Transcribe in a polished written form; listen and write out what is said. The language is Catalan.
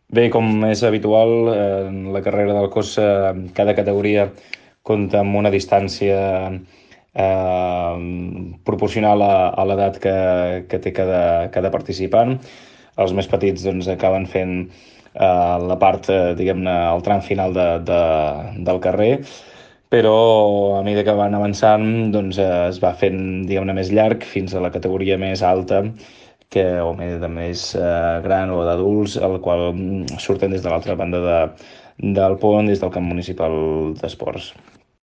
Bé, com és habitual, en la carrera del cos, cada categoria compta amb una distància proporcional a l'edat que té cada participant. Els més petits doncs, acaben fent la part, diguem-ne, el tram final del carrer, però a mesura que van avançant doncs, es va fent, diguem-ne, més llarg fins a la categoria més alta, o més gran o d'adults, el qual surten des de l'altra banda del pont, des del camp municipal d'esports.